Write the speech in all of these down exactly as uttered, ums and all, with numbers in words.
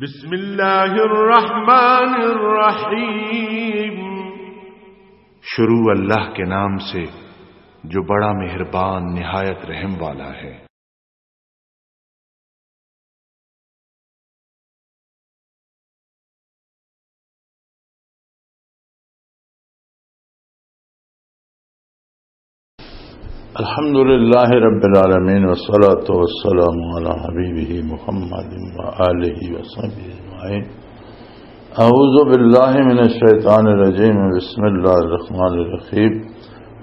بسم اللہ الرحمن الرحیم۔ شروع اللہ کے نام سے، جو بڑا مہربان، نہایت رحم والا ہے۔ الحمد لله رب العالمين، والصلاة والسلام على حبيبه محمد وآله وصحبه أجمعين. أعوذ بالله من الشيطان الرجيم. بسم الله الرحمن الرحيم.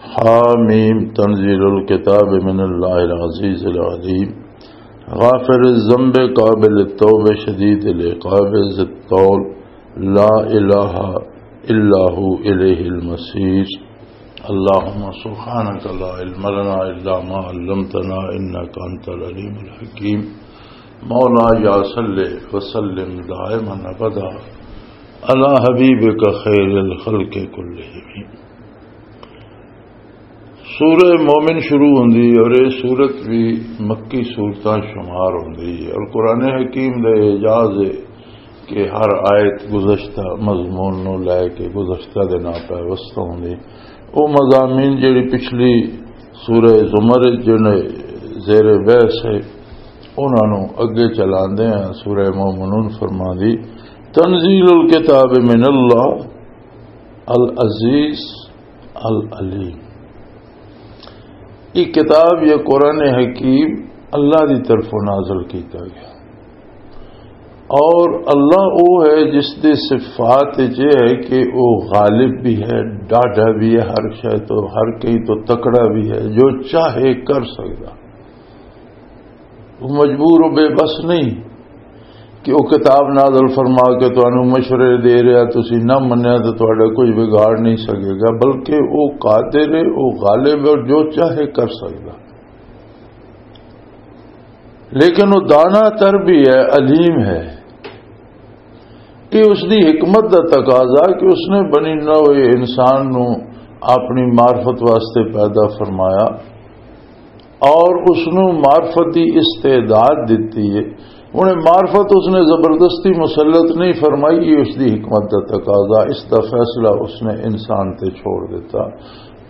حاميم، تنزيل الكتاب من الله العزيز العليم. غافر الذنب قابل التوب شديد العقاب ذي الطول. لا إله إلا هو إليه المصير. اللهم سبحانك لا علم لنا إلا ما علمتنا إنك أنت العليم الحكيم. مولاي صل وسلم دائما أبدا على حبيبك خير الخلق كلهم. سورہ مومن شروع ہوندی ہے اور یہ سورت بھی مکی سورتاں شمار ہوندی ہے، اور قرآن حکیم دا اعجاز ہے کہ ہر آیت گزشتہ مضمون نو لے کے گزشتہ دے نال پیوستہ ہوندی۔ او مضامین جڑی پچھلی سورہ زمر وچ جڑے زیر بحث ہے، انہاں نو اگے چلاندے ہیں۔ سورہ مومنون فرماندی، تنزیل الکتاب من اللہ العزیز العلیم۔ یہ کتاب یا قرآن حکیم اللہ دی طرفوں نازل کیتا گیا، اور اللہ وہ ہے جس دے صفات یہ ہے کہ وہ غالب بھی ہے، ڈاڈھا بھی ہے، ہر شے تو، ہر کہیں تو تکڑا بھی ہے، جو چاہے کر سکدا۔ وہ مجبور و بے بس نہیں کہ وہ کتاب نازل فرما کے تانوں مشورے دے رہا، تسی نہ منیا تو تہاڈا کچھ بگاڑ نہیں سکے گا، بلکہ وہ قادر ہے، وہ غالب ہے اور جو چاہے کر سکدا۔ لیکن وہ دانا تر بھی ہے، علیم ہے۔ یہ اس دی حکمت دا تقاضا کہ اس نے بنی نوع انسان نو اپنی معرفت واسطے پیدا فرمایا اور اس نو معرفت دی استعداد دتی ہے۔ انہیں معرفت اس نے زبردستی مسلط نہیں فرمائی، یہ اس دی حکمت دا تقاضا، اس دا فیصلہ اس نے انسان تے چھوڑ دیتا۔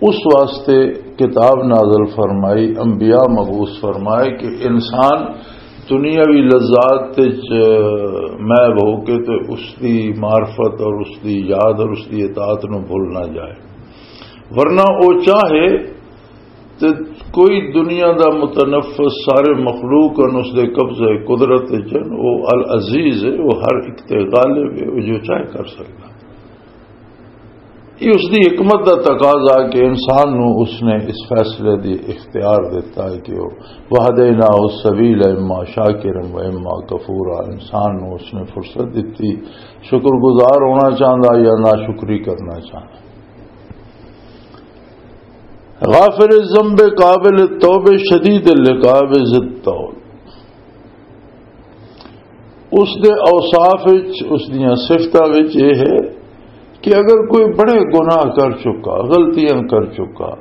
اس واسطے کتاب نازل فرمائی، انبیاء مبعوث فرمائے کہ انسان دنیاوی لذات وچ محو ہو کے تے اس دی معرفت اور اس دی یاد اور اس دی اطاعت نو بھول نہ جائے، ورنہ او چاہے تے کوئی دنیا دا متنفس، سارے مخلوق ہن اس دے قبضے قدرت وچ ہن، او العزیز ہے، او ہر ایک تے غالب ہے، او جو چاہے کر سکدا۔ یہ اس دی حکمت دا تقاضا کہ انسان نو اس نے اس فیصلے دی اختیار دیتا ہے کہ وہ وہدیناہ السبیل اما شاکرا و اما کفورا، انسان نو اس نے فرصت دتی شکر گزار ہونا چاہندا یا ناشکری کرنا چاہندا۔ غافر الذنب قابل التوب شدید العقاب ذی الطول۔ اس دے اوصاف وچ، اس دیاں صفتاں وچ یہ ہے کہ اگر کوئی بڑے گناہ کر چکا، غلطیاں کر چکا،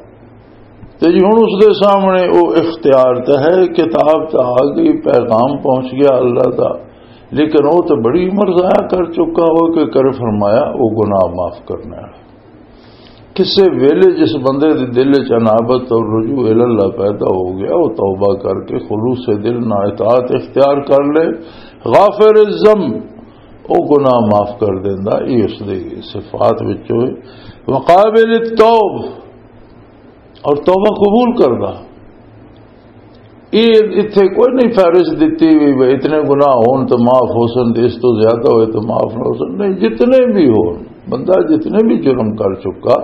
تے جی ہن اس دے سامنے او اختیار تے ہے، کتاب تے آ گئی، پیغام پہنچ گیا اللہ دا، لیکن او تے بڑی عمر ضائع کر چکا ہو کہ کر فرمایا او گناہ معاف کرنا ہے۔ کسے ویلے جس بندے دے دل وچ انابت اور رجوع الی اللہ پیدا ہو گیا، وہ توبہ کر کے خلوص دل نال اطاعت اختیار کر لے، غافر الذنب، او گناہ معاف کر دیندا۔ یہ اس دے صفات وچوں ہے۔ وقابل التوب، اور توبہ قبول کردا۔ یہ اتھے کوئی نہیں فہرست دتی بھی بھئی اتنے گناہ ہون تو معاف ہو سن، اس تو زیادہ ہوئے تو معاف نہ ہو سن۔ نہیں، جتنے بھی ہون، بندہ جتنے بھی جرم کر چکا،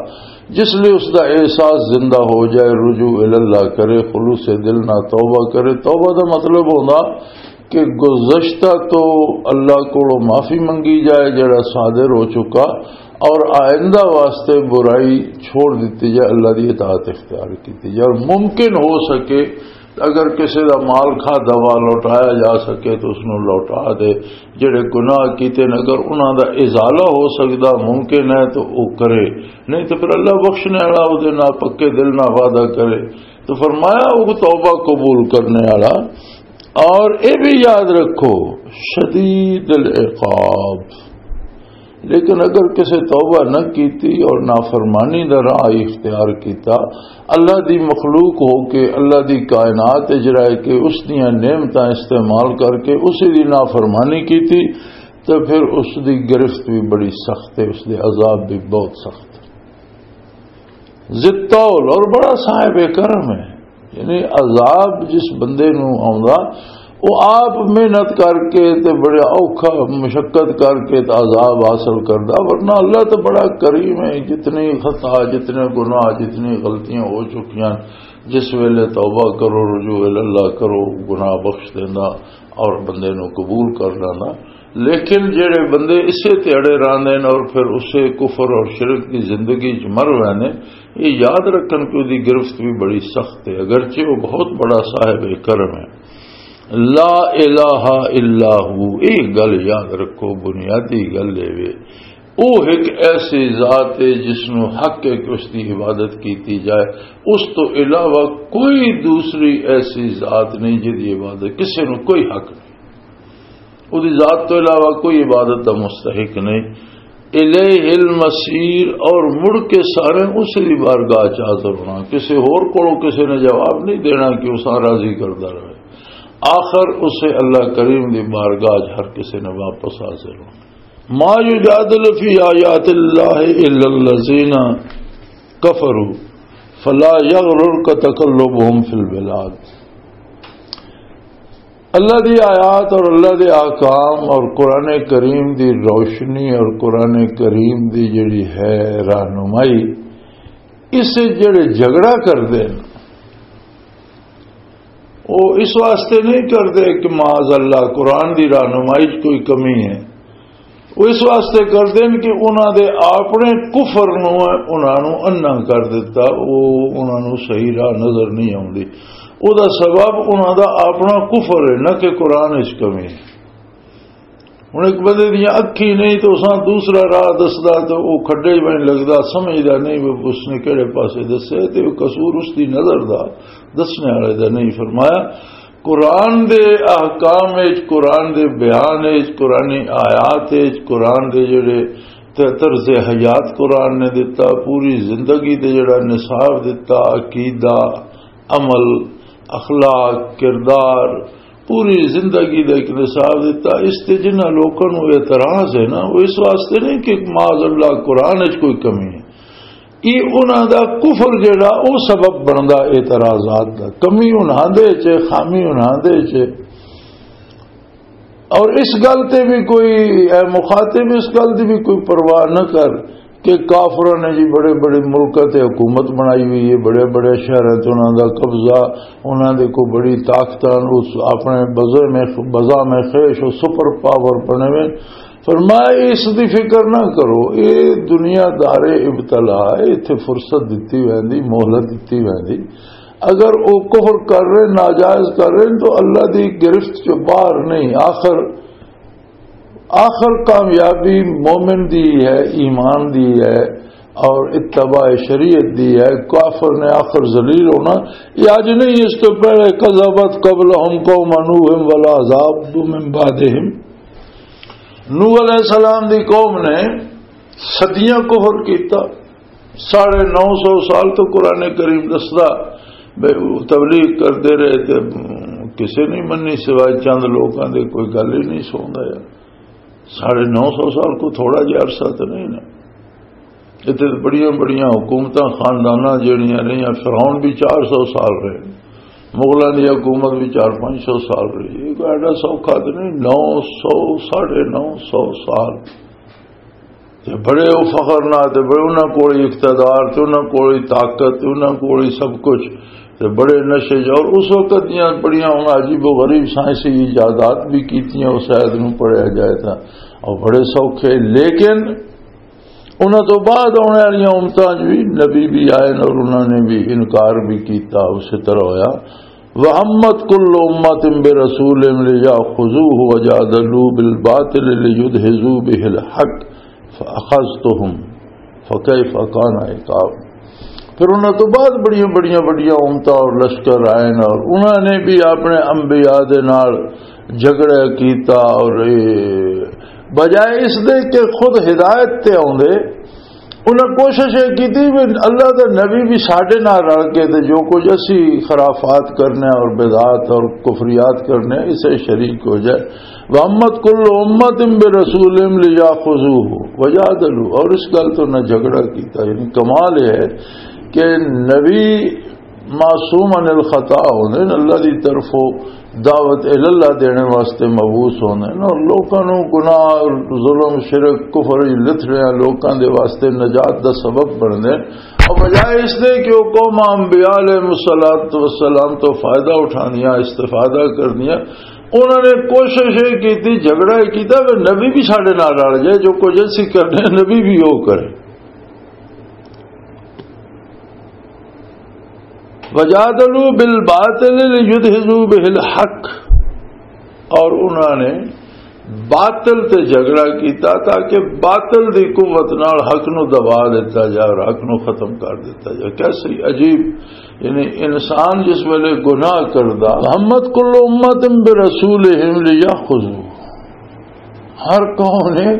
جس لئے اس دا احساس زندہ ہو جائے، رجوع الی اللہ کرے، خلوص دل نہ توبہ کرے۔ توبہ دا مطلب ہوندا کہ گزشتہ تو اللہ کو معافی منگی جائے جڑا صادر ہو چکا، اور آئندہ واسطے برائی چھوڑ دیتی جائے، اللہ دی اطاعت اختیار کیتی جائے، اور ممکن ہو سکے اگر کسی دا مال کھادا وا لوٹایا جا سکے تو اس نوں لوٹا دے۔ جڑے گناہ کیتے نے، اگر انہاں دا ازالہ ہو سکدا، ممکن ہے تو او کرے، نہیں تو پھر اللہ بخشنے والا، او دے نال پکے دل نال وعدہ کرے۔ تو فرمایا، او توبہ قبول کرنے والا اور یہ بھی یاد رکھو، شدید العقاب، لیکن اگر کسی توبہ نہ کیتی اور نافرمانی دا راہ اختیار کیتا، اللہ دی مخلوق ہو کے، اللہ دی کائنات اجرائے کے، اس دیاں نعمتاں استعمال کر کے اسی دی نافرمانی کیتی، تو پھر اس دی گرفت بھی بڑی سخت ہے، اس دے عذاب بھی بہت سخت ہے۔ ذی الطول، اور بڑا صاحب کرم ہے۔ یعنی عذاب جس بندے نو آوندا، وہ آپ محنت کر کے تے بڑا اوکھا مشقت کر کے تے عذاب حاصل کردا، ورنہ اللہ تو بڑا کریم ہے۔ جتنی خطا، جتنے گناہ، جتنی غلطیاں ہو چکیاں، جس ویلے توبہ کرو، رجوع اللہ کرو، گناہ بخش دیندا اور بندے نو قبول کر لیندا۔ لیکن جڑے بندے اسے تے اڑے رہندے نے اور پھر اسے کفر اور شرک دی زندگی چ مر ویندے، یہ یاد رکھن کہ دی گرفت بھی بڑی سخت ہے، اگرچہ وہ بہت بڑا صاحب کرم ہے۔ لا الہ الا ہو، یہ گل یاد رکھو، بنیادی گل یہ وے۔ وہ ایک ایسی ذات ہے جس نو حق ہے کہ اس دی عبادت کیتی جائے۔ اس تو علاوہ کوئی دوسری ایسی ذات نہیں جس دی عبادت کسی نو کوئی حق نہیں۔ وہ دی ذات تو علاوہ کوئی عبادت دا مستحق نہیں۔ الیہ المصیر، اور مڑ کے سارے اس دی بارگاہ چ حاضر ہونا، کسی ہور کولوں کسی نے جواب نہیں دینا کہ اس راضی کردا رہے۔ آخر اسے اللہ کریم دی بارگاہ چ ہر کسی نے واپس حاضر ہونا۔ ما یجادل فی آیات اللہ الا الذین کفروا فلا یغررک تقلبهم فی البلاد۔ اللہ دی آیات اور اللہ دے احکام اور قرآن کریم دی روشنی اور قرآن کریم دی جڑی ہے رہنمائی، اس سے جڑے جھگڑا کردے ہیں، وہ اس واسطے نہیں کردے کہ معاذ اللہ قرآن دی رہنمائی 'چ کوئی کمی ہے۔ وہ اس واسطے کردے ہیں کہ انہاں دے اپنے کفر نو انہاں نو انا کر دتا، وہ انہاں نو صحیح راہ نظر نہیں آوندی۔ او دا سبب انہاں دا اپنا کفر ہے، نہ کہ قرآن 'چ کمی ہے۔ ہن ایک بندے دیاں اکھیں نہیں تو اساں دوسرا راہ دسدا تے او کھڈے ہی بن لگدا، سمجھدا نہیں وہ اس نے کہڑے پاسے دسے، تے او قصور اس دی نظر دا، دسنے والے دا نہیں۔ فرمایا، قرآن دے احکام وچ، قرآن دے بیان وچ، قرآنی آیات وچ، قرآن دے جڑے ط-، طرز حیات قرآن نے دتا، پوری زندگی دے جڑا نصاب دتا، عقیدہ، عمل، اخلاق، کردار، پوری زندگی دا ایک نصاب دتا۔ اس تے جنہاں لوکاں نوں اعتراض ہے نا، وہ اس واسطے نہیں کہ معاذ اللہ قرآن وچ کوئی کمی ہے، یہ انہاں دا کفر جڑا، او سبب بندا اعتراضات دا، کمی انہاں دے چ، خامی انہاں دے چ۔ اور اس گل تے بھی کوئی، اے مخاطب، اس گل دی بھی کوئی پرواہ نہ کر کہ کافراں نے جی بڑے بڑے ملکاں تے حکومت بنائی ہوئی ہے، بڑے بڑے شہراں تے انہاں دا قبضہ، انہاں دے کو بڑی طاقتاں، اس اپنے بزے میں، بزا میں خیش و سپر پاور بنے ہوئے۔ فرمایا، اس دی فکر نہ کرو، اے دنیا دار ابتلا ہے، ایتھے فرصت دتی ویندی، مہلت دتی ویندی۔ اگر وہ کفر کر رہے، ناجائز کر رہے، تو اللہ دی گرفت چ باہر نہیں۔ آخر، آخر کامیابی مومن دی ہے، ایمان دی ہے اور اتباع شریعت دی ہے۔ کافر نے آخر ذلیل ہونا۔ یہ اج نہیں، اس تو پہلے کذبت قبلہم قوم نوح والاحزاب من بعدہم۔ نوح علیہ السلام دی قوم نے صدیاں کفر کیتا، ساڑھے نو سو سال تو قرآن کریم دسدا، بے، تبلیغ کردے رہے تے کسے نہیں منی سوائے چند لوکاں دے، کوئی گل ہی نہیں سندا یار۔ ساڑھے نو سو سال کو تھوڑا جہا عرصہ تو نہیں نا۔ اتنے بڑیاں بڑیاں حکومتاں، خانداناں جڑیاں رہیاں، فرعون بھی چار سو سال رہے، مغلاں دی حکومت بھی چار پانچ سو سال رہی۔ یہ کوئی ایڈا سوکھا تو نہیں، نو سو، ساڑھے نو سو سال۔ تے بڑے او فخر نہ، تے بڑے انہاں کول اقتدار، تے انہاں کول طاقت، تے انہاں کول سب کچھ، تے بڑے نشے چ۔ اور اس وقت دیاں بڑیاں ہن عجیب و غریب سائنسی ایجادات بھی کیتیاں، اس آیت نوں پڑھیا جائے تاں، اور بڑے سوکھے۔ لیکن انہاں تو بعد آنے والیاں امتاں چ بھی نبی بھی آئے نے اور انہاں نے بھی انکار بھی کیتا، اسی طرح ہویا۔ وَهَمَّتْ كُلُّ أُمَّةٍ بِرَسُولِهِمْ لِيَأْخُذُوهُ وَجَادَلُوا بِالْبَاطِلِ لِيُدْحِضُوا بِهِ الْحَقَّ فَأَخَذْتُهُمْ فَكَيْفَ كَانَ عِقَابِ۔ پھر انہاں تو بعد بڑیاں بڑیاں وڈیاں امتاں اور لشکر آئے نے، اور انہاں نے بھی اپنے انبیاء دے نال جھگڑا کیتا، اور اے بجائے اس دے کہ خود ہدایت تے آوندے، انہاں کوشش یہ کیتی بھی اللہ دے نبی بھی ساڈے نال رل کے تے جو کچھ اسی خرافات کرنے اور بدعات اور کفریات کرنے، اسے شریک ہو جائے۔ وَأَمَّتْ كُلُّ أُمَّةٍ بِرَسُولِهِمْ لِيَأْخُذُوهُ وَجَادَلُوا، اور اس گل تو نہ جھگڑا کیتا۔ یعنی کمال یہ ہے کہ نبی معصوم عن الخطا ہوندے نے، اللہ دی طرفوں دعوت الی اللہ دینے واسطے مبعوث ہوندے نے، اور لوکاں نوں گناہ، ظلم، شرک، کفر وچ لتھڑیاں لوکاں دے واسطے نجات دا سبب بندے۔ اور بجائے اس دے کہ وہ قوم انبیاء علیہ الصلوۃ والسلام تو فائدہ اٹھاندیاں، استفادہ کردیاں، انہوں نے کوشش یہ کی، جھگڑا یہ کیتا کہ نبی بھی ساڈے نال رل جائے، جو کچھ اسی کرنے نبی بھی وہ کرے۔ وجادلوا بالباطل لیدحضوا بہ الحق، اور انہوں نے باطل تے جھگڑا کیتا تاکہ باطل دی قوت نال حق نو دبا دیتا جائے اور حق نو ختم کر دیتا جائے۔ کیسی عجیب، یعنی انسان جس ویلے گناہ کردا، ہمت کل امت برسولہم لیأخذوا، ہر قوم نے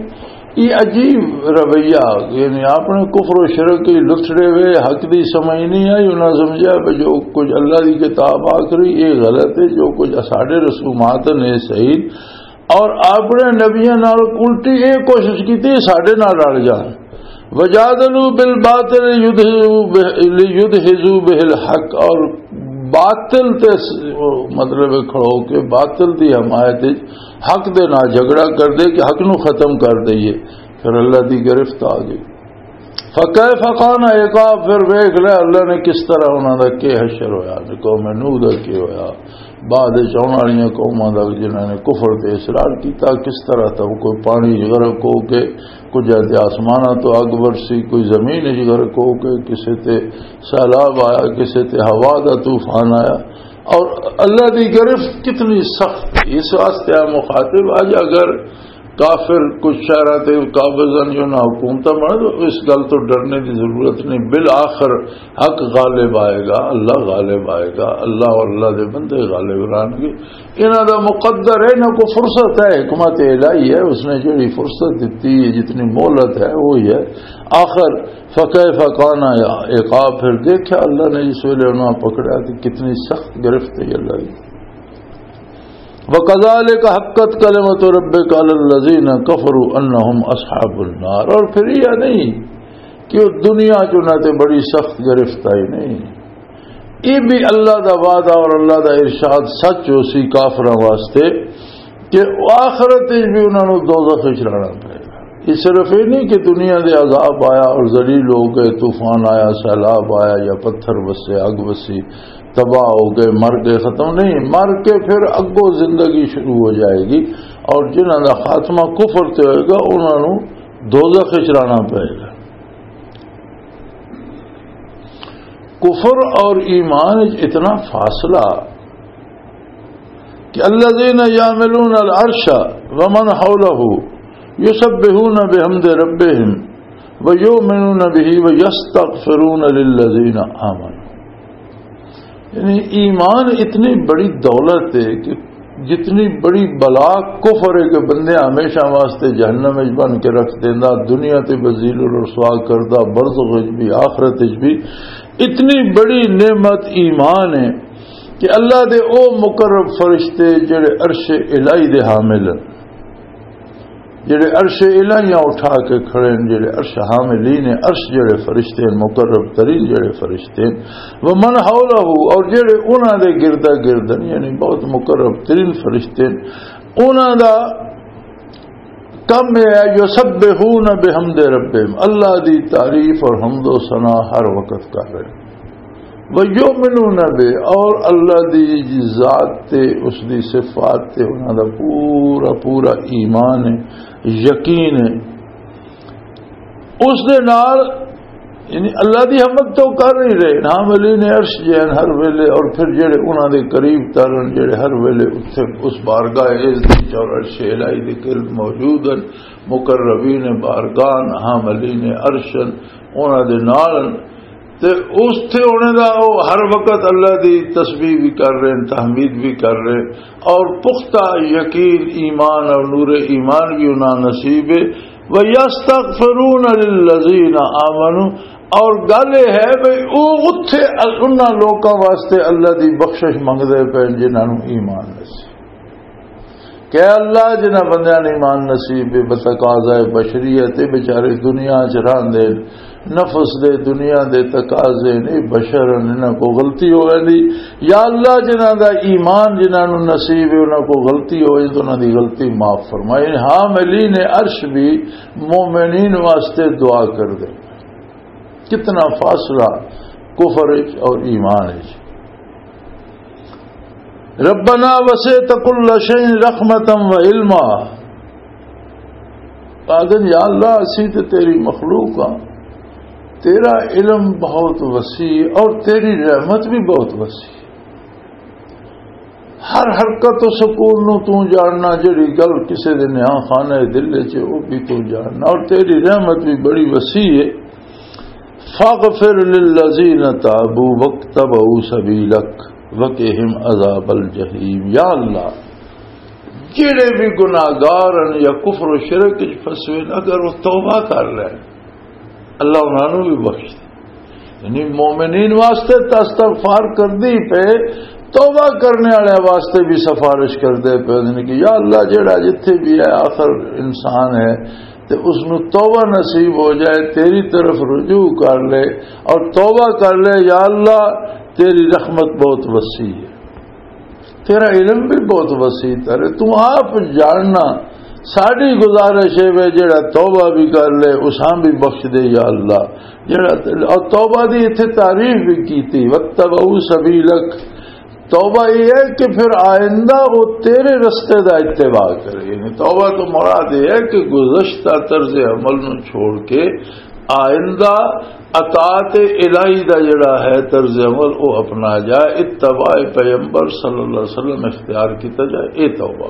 یہ عجیب رویہ، یعنی اپنے کفر و شرک کی لٹھڑے ہوئے حق دی سمجھ نہیں آئی، انہاں سمجھا کہ جو کچھ اللہ دی کتاب آ کری یہ غلط ہے، جو کچھ ساڈے رسومات نے صحیح، اور اپنے نبیاں نال الٹی یہ کوشش کی ساڈے نال رل جان۔ وجادلوا بالباطل لیدحضوا بہ، لیدحضوا بہ الحق، اور باطل تے س-، مطلب کھڑو کے باطل دی حمایت وچ حق دے نال جھگڑا کر دے کہ حق نو ختم کر دئیے۔ پھر اللہ دی گرفت آ گئی۔ فکیف کان عقاب، پھر ویکھ لے اللہ نے کس طرح انہاں دا کی حشر ہویا، قوم نوح دا کی ہویا، بعد وچ آن والیاں قوماں دا جنہاں نے کفر تے اصرار کیتا، کس طرح تب کوئی پانی وچ غرق ہو کے، کچھ تے آسماناں تو اگ برسی، کوئی زمین وچ غرق ہو کے، کسے تے سیلاب آیا، کسے تے ہوا دا طوفان آیا۔ اور اللہ دی گرفت کتنی سخت ہے۔ اس واسطے آ مخاطب اج اگر کافر کچھ شہراں تے قابض ہن یا انہاں حکومتاں بنن، تو اس گل تو ڈرنے دی ضرورت نہیں۔ بالآخر حق غالب آئے گا، اللہ غالب آئے گا، اللہ اور اللہ دے بندے غالب رہن گے۔ انہاں دا مقدر ہے، انہاں کو فرصت ہے، حکمت الہی ہے، اس نے جڑی فرصت دیتی ہے، جتنی مہلت ہے، وہی ہے۔ آخر فکیف کان عقاب، پھر دیکھا اللہ نے جس ویلے انہاں پکڑا تو کتنی سخت گرفت ہے اللہ کی۔ وَكَذَلِكَ حَقَّتْ كَلِمَةُ رَبِّكَ عَلَى الَّذِينَ كَفَرُوا أَنَّهُمْ أَصْحَابُ النَّارِ۔ اور پھر یہ نہیں کہ وہ دنیا چ انہاں تے بڑی سخت گرفت آئی نہیں۔ یہ بھی اللہ دا وعدہ اور اللہ دا ارشاد سچ ہو سی کافراں واسطے کہ آخرت وچ بھی انہاں نوں دوزخ وچ رہنا پئے گا۔ یہ صرف یہ نہیں کہ دنیا دے عذاب آیا اور ذلیل ہو گئے، طوفان آیا، سیلاب آیا یا پتھر وسے، اگ وسی، تباہ ہو گئے، مر گئے، ختم نہیں، مر کے پھر اگوں زندگی شروع ہو جائے گی، اور جنہاں دا خاتمہ کفر تے ہوئے گا، انہاں نوں دوزخ وچ رہنا پئے گا۔ کفر اور ایمان وچ اتنا فاصلہ کہ الذين يحملون العرش ومن حوله يسبحون بحمد ربهم ويؤمنون به ويستغفرون للذين آمنوا۔ یعنی ایمان اتنی بڑی دولت ہے کہ جتنی بڑی بلا کفر ہے کہ بندے ہمیشہ واسطے جہنم وچ بن کے رکھ دیندا، دنیا تے ذلیل و رسوا کردا، برزخ وچ بھی، آخرت وچ بھی۔ اتنی بڑی نعمت ایمان ہے کہ اللہ دے او مقرب فرشتے جڑے عرش الہی دے حامل ہیں، جڑے عرش الہیاں اٹھا کے کھڑے ہیں، جڑے عرش حاملین ہیں، عرش جڑے فرشتے ہیں، مقرب ترین جڑے فرشتے ہیں، ومن حولہ، اور جڑے انہاں دے گردا گرد ہیں، یعنی بہت مقرب ترین فرشتے ہیں، انہاں دا کم یہ ہے، یسبحون بحمد ربہم، اللہ دی تعریف اور حمد و ثنا ہر وقت کر رہے ہیں۔ وَيُؤْمِنُونَ بِهِ، اور اللہ دی ذات تے، اس دی صفات تے انہاں دا پورا پورا ایمان ہے، یقین ہے۔ اس دے نال، یعنی اللہ دی حمد تو کر ہی رہے، حاملین عرش جے ہیں ہر ویلے، اور پھر جڑے انہاں دے قریب تر ہیں، جڑے ہر ویلے اتھے اس بارگاہ عز دی اور عرش الہی دے قرب موجود ہیں، مقربین بارگاہ، حاملین عرش ہیں، انہاں دے نال ہیں۔ تے اس تھے ہونے دا وہ ہر وقت اللہ دی تسبیح بھی کر رہے ہیں، تحمید بھی کر رہے ہیں، اور پختہ یقین ایمان اور نور ایمان بھی انہاں نصیب ہے۔ وَيَسْتَغْفِرُونَ لِلَّذِينَ آمَنُوا، اور گل یہ ہے بھئی وہ اتھے ال-، انہاں لوکاں واسطے اللہ دی بخشش منگدے پے جنہاں نوں ایمان نصیب۔ کہ اللہ جنہاں بندیاں نوں ایمان نصیب ہے، بتقاضائے بشریت، یہ بیچارے دنیا چ رہندے، نفس دے، دنیا دے تقاضے نے، بشر انہاں کو غلطی ہو ویندی۔ یا اللہ جنہاں دا ایمان جنہاں نوں نصیب ہے، انہاں کو غلطی ہوئی تو انہاں دی غلطی معاف فرمائے۔ حاملین عرش بھی مومنین واسطے دعا کر دے۔ کتنا فاصلہ کفر وچ اور ایمان وچ۔ ربنا وسعت كل شيء رحمة وعلما۔ آدن یا اللہ، اسی تے تیری مخلوق ہاں، تیرا علم بہت وسیع اور تیری رحمت بھی بہت وسیع۔ ہر حرکت و سکون نو تو جاننا، جڑی گل کسے دے نیاں خانہ دل وچ ہے، او بھی تو جاننا، اور تیری رحمت بھی بڑی وسیع ہے۔ فاغفر للذین تابوا واتبعوا سبیلک وقہم عذاب الجحیم۔ یا اللہ، جڑے بھی گناہگار ہیں یا کفر و شرک وچ پھسے ہیں، اگر وہ توبہ کر لے، اللہ انہاں نوں بھی بخش دے۔ یعنی مومنین واسطے تے استغفار کردی پے، توبہ کرنے والے واسطے بھی سفارش کردے پے، یعنی کہ یا اللہ، جڑا جتھے بھی ہے، آخر انسان ہے، تے اس نوں توبہ نصیب ہو جائے، تیری طرف رجوع کر لے اور توبہ کر لے، یا اللہ، تیری رحمت بہت وسیع ہے۔ تیرا علم بھی بہت وسیع تر ہے، تو آپ جاننا۔ ساری گزارش ہے وے، جڑا توبہ بھی کر لے، اساں بھی بخش دے یا اللہ۔ جڑا، اور توبہ دی اتھے تعریف بھی کیتی، "واتبعوا سبیلک"۔ توبہ یہ ہے کہ پھر آئندہ وہ تیرے رستے دا اتباع کرے۔ یعنی توبہ تو مراد یہ ہے کہ گزشتہ طرز عمل نو چھوڑ کے آئندہ اطاعت الہی دا جڑا ہے طرز عمل، وہ اپنا جائے، اتباع پیغمبر صلی اللہ علیہ وسلم اختیار کیتا جائے۔ اے توبہ۔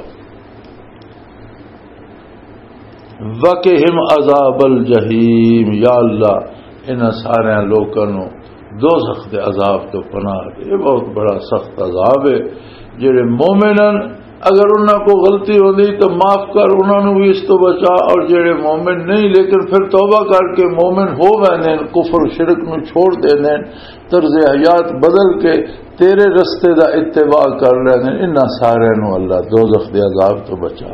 وقہم عذاب الجحیم، یا اللہ، انہاں سارے لوکاں نوں دوزخ دے عذاب تو پناہ دے۔ یہ بہت بڑا سخت عذاب ہے۔ جڑے مومن ہیں، اگر انہاں کو غلطی ہوندی تو معاف کر، انہاں نوں بھی اس تو بچا، اور جڑے مومن نہیں لیکن پھر توبہ کر کے مومن ہو ویندے ہیں، کفر و شرک نوں چھوڑ دیندے ہیں، طرز حیات بدل کے تیرے رستے دا اتباع کر لیندے ہیں، انہاں سارے نوں اللہ دوزخ دے عذاب تو بچا۔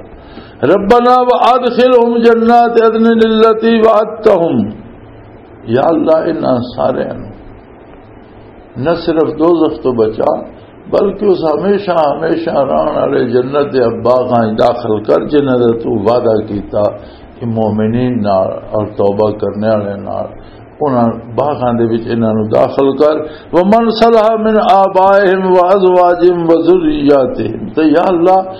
ربنا وادخلهم جنات عدن التي وعدتهم، یا اللہ، انہاں سارے نوں نہ صرف دوزخ تو بچا، بلکہ اس ہمیشہ، ہمیشہ رہن والے جنت دے باغاں وچ داخل کر، جنہاں دا تو وعدہ کیتا کہ مومنین نال اور توبہ کرنے والے نال، انہاں باغاں دے وچ انہاں نوں داخل کر۔ ومن صلح من آبائهم وازواجهم وذریاتهم، تے یا اللہ،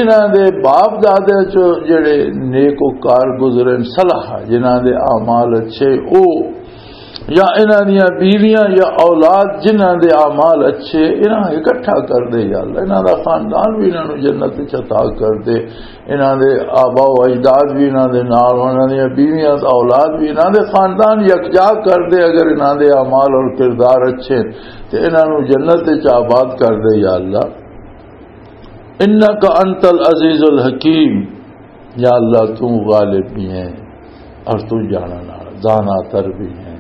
انہاں دے باپ دادے چ جڑے نیک و کار گزرے، صلح، جنہاں دے اعمال اچھے، او یا انہاں دیاں بیویاں یا اولاد جنہاں دے اعمال اچھے، انہاں اکٹھا کر دے یا اللہ، انہاں دا خاندان بھی انہاں نوں جنت وچ عطا کر دے، انہاں دے آبا و اجداد بھی انہاں دے نال، انہاں دیاں بیویاں، اولاد بھی، انہاں دے خاندان یکجا کر دے، اگر انہاں دے اعمال اور کردار اچھے تے انہاں نوں جنت وچ آباد کر دے یا اللہ۔ انک انت العزیز الحکیم، یا اللہ، تو غالب بھی ہیں اور تو جاننا، دانا تر بھی ہیں۔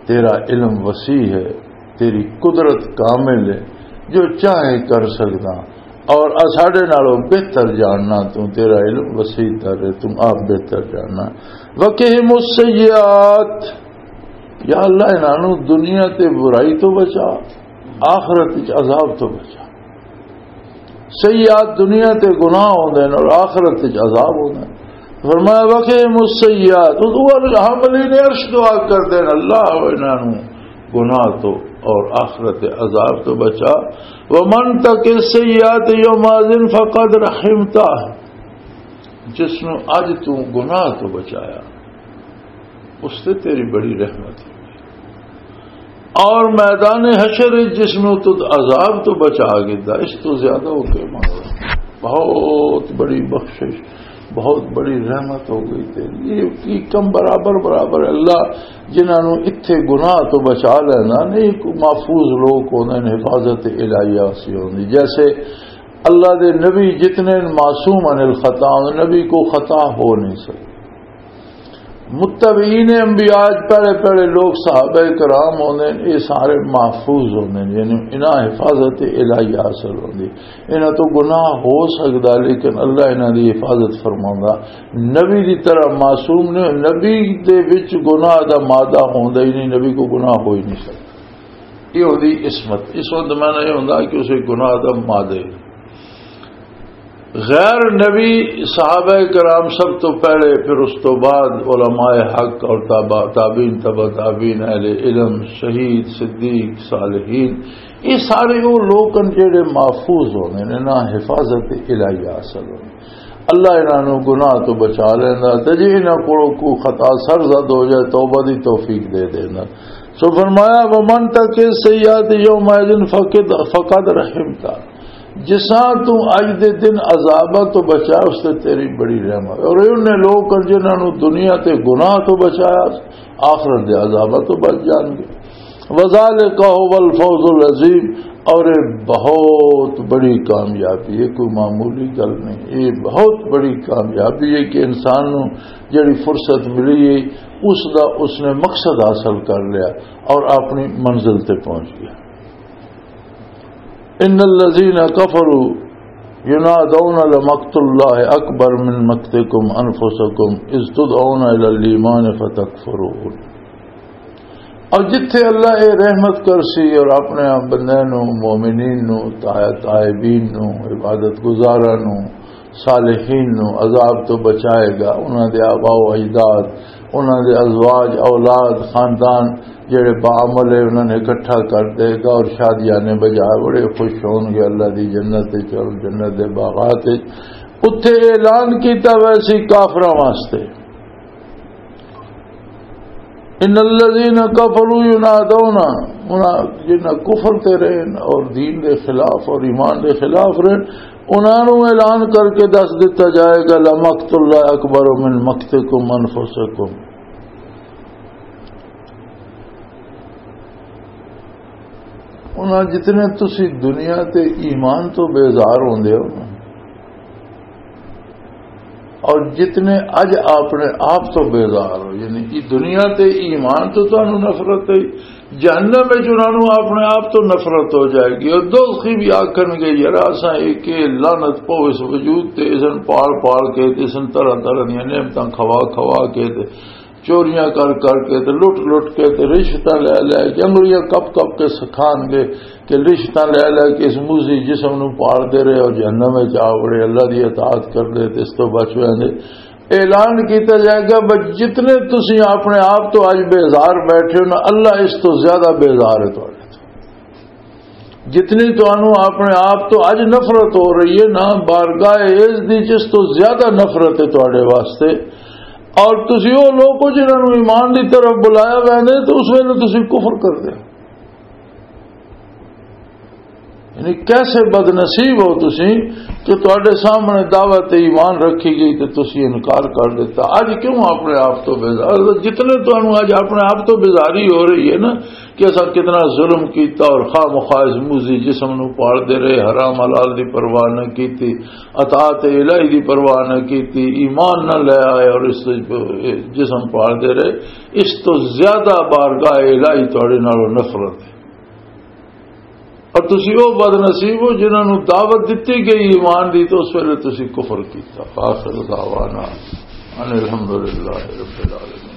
تیرا علم وسیع ہے، تیری قدرت کامل ہے، جو چاہے کر سکدا، اور اساڈے نالوں بہتر جاننا، تو تیرا علم وسیع تر ہے، تو آپ بہتر جاننا۔ وقہم السیئات، یا اللہ، انہاں نوں دنیا تے برائی تو بچا، آخرت وچ عذاب تو بچا۔ سیئات دنیا تے گناہ ہوندے نے اور آخرت وچ عذاب ہوندا ہے۔ فرمایا، "وقہم السیئات"، اس وقت حاملین عرش دعا کردے نے، "اللہ، انہاں نوں گناہ تو اور آخرت دے عذاب تو بچا۔" "ومن تق السیئات یومئذ فقد رحمتہ"، جس نوں اج تو گناہ تو بچایا، اس تے تیری بڑی رحمت ہوئی۔ اور میدان حشر وچ جس نوں تو عذاب تو بچا گدا، اس تو زیادہ وہ کیا مانگنا؟ بہت بڑی بخشش، بہت بڑی رحمت ہو گئی تیری۔ یہ کی کم برابر برابر اللہ جنہاں نوں اتھے گناہ تو بچا لینا، نہیں کوئی محفوظ لوگ ہوندے نے، حفاظت الہیہ سی ہوندی۔ جیسے اللہ دے نبی جتنے معصوم عن الخطا، نبی کو خطا ہو نہیں سکتی۔ متبعین انبیاء، پہلے پہلے لوگ صحابہ کرام ہوندے نے، یہ سارے محفوظ ہوندے نے، یعنی انہاں حفاظت الہی حاصل ہوندی۔ انہاں تو گناہ ہو سکدا، لیکن اللہ انہاں دی حفاظت فرماوندا۔ نبی دی طرح معصوم نے، نبی دے وچ گناہ دا مادہ ہوندا ہی نہیں، نبی کو گناہ ہو ہی نہیں سکدا۔ یہ ہوندی عصمت۔ عصمت دا معنی یہ ہوندا کہ اسے گناہ دا مادہ ہی نہیں۔ غیر نبی صحابہ کرام سب تو پہلے، پھر اس تو بعد علماء حق اور تابع-، تابعین، تبع تابعین، اہل علم، شہید، صدیق، صالحین، یہ سارے وہ لوگ ہیں جڑے محفوظ ہوندے نے، نہ حفاظت الہی حاصل ہوندی۔ اللہ انہاں نوں گناہ تو بچا لیندا، تے جے انہاں کولوں کوئی خطا سرزد ہو جائے، توبہ دی توفیق دے دیندا۔ سو فرمایا، "ومن تق السیئات یومئذ فقد، فقد رحمتہ۔" جساں تو اج دے دن عذاباں تو بچا، اس تے تیری بڑی رحمت۔ اور یہ انہیں لوگ ہیں جنہاں نوں دنیا تے گناہ تو بچایا، آخرت دے عذاباں تو بچ جان گے۔ وذالک هو الفوز العظیم، اور یہ بہت بڑی کامیابی ہے، کوئی معمولی گل نہیں، یہ بہت بڑی کامیابی ہے کہ انسان نوں جڑی فرصت ملی ہے، اس دا اس نے مقصد حاصل کر لیا اور اپنی منزل تے پہنچ گیا۔ ان الذین کفروا ینادون لمقت اللہ اکبر من مقتکم انفسکم اذ تدعون الی الایمان فتکفرون۔ اور جتھے اللہ اے رحمت کرسی اور اپنے بندے نو، مومنین نو، تائ-، تائبین نو، عبادت گزاراں نو، صالحین نو عذاب تو بچائے گا، انہاں دے آبا و اجداد، انہاں دے ازواج، اولاد، خاندان جڑے باعمل ہے، انہاں نے اکٹھا کر دے گا اور شادیاں نے بجائے بڑے خوش ہون گے اللہ دی جنت وچ اور جنت دے باغات وچ۔ اتھے اعلان کیتا ویسی کافراں واسطے، ان الذین کفروا ینادون، انہاں جنہاں کفر تے رہن اور دین دے خلاف اور ایمان دے خلاف رہن، انہاں نوں اعلان کر کے دس دتا جائے گا، لمقت اللہ اکبر من مقتکم انفسکم۔ انہاں جتنے تسی دنیا تے ایمان تو بیزار ہوندے ہو نا، اور جتنے اج اپنے آپ تو بیزار ہو، یعنی کہ دنیا تے ایمان تو تانوں نفرت ہے، جہنم وچ انہاں نوں اپنے آپ تو نفرت ہو جائے گی۔ اور دوزخی بھی آکھن گے، "یار، اساں ایک یہ لعنت پو اس وجود تے، اسن پال پال کے تے، اسن طرح طرح دیاں نعمتاں کھوا کھوا کے تے، چوریاں کر کر کے تے، لٹ لٹ کے تے، رشوتاں لے لے کے، انگلیاں کپ کپ کے سکھان گے کہ رشوتاں لے لے کے اس موزی جسم نوں پال دے رہے اور جہنم وچ آ وڑے، اللہ دی اطاعت کر دے تے اس تو بچ ویندے۔" اعلان کیتا جائے گا، بس جتنے تسی اپنے آپ تو اج بیزار بیٹھے ہو نا، اللہ اس تو زیادہ بیزار ہے تہاڈے تو۔ جتنی تانوں اپنے آپ تو اج نفرت ہو رہی ہے نا، بارگاہ عز دی جس تو زیادہ نفرت ہے تہاڈے واسطے۔ اور تسی وہ لوگ ہو جنہاں نوں ایمان دی طرف بلایا ویندے تو اس ویلے تسی کفر کر دے۔ یعنی کیسے بد نصیب ہو تسی کہ تہاڈے سامنے دعوت ایمان رکھی گئی تے تسی انکار کر دیتا۔ اج کیوں اپنے آپ تو بیزار؟ جتنے تانوں اج اپنے آپ تو بیزاری ہو رہی ہے نا، کہ اساں کتنا ظلم کیتا اور خواہ مخواہ اس موزی جسم نو پالدے رہے، حرام حلال دی پرواہ نہ کیتی، اطاعت الہی دی پرواہ نہ کیتی، ایمان نہ لے آئے اور اس جسم پالدے رہے، اس تو زیادہ بارگاہ الہی تہاڈے نالوں نفرت ہے۔ اور تسی او بد نصیب ہو جنہاں نو دعوت دتی گئی ایمان دی، تو اس ویلے تسی کفر کیتا۔ آخر دعوانا ان الحمدللہ رب العالمین۔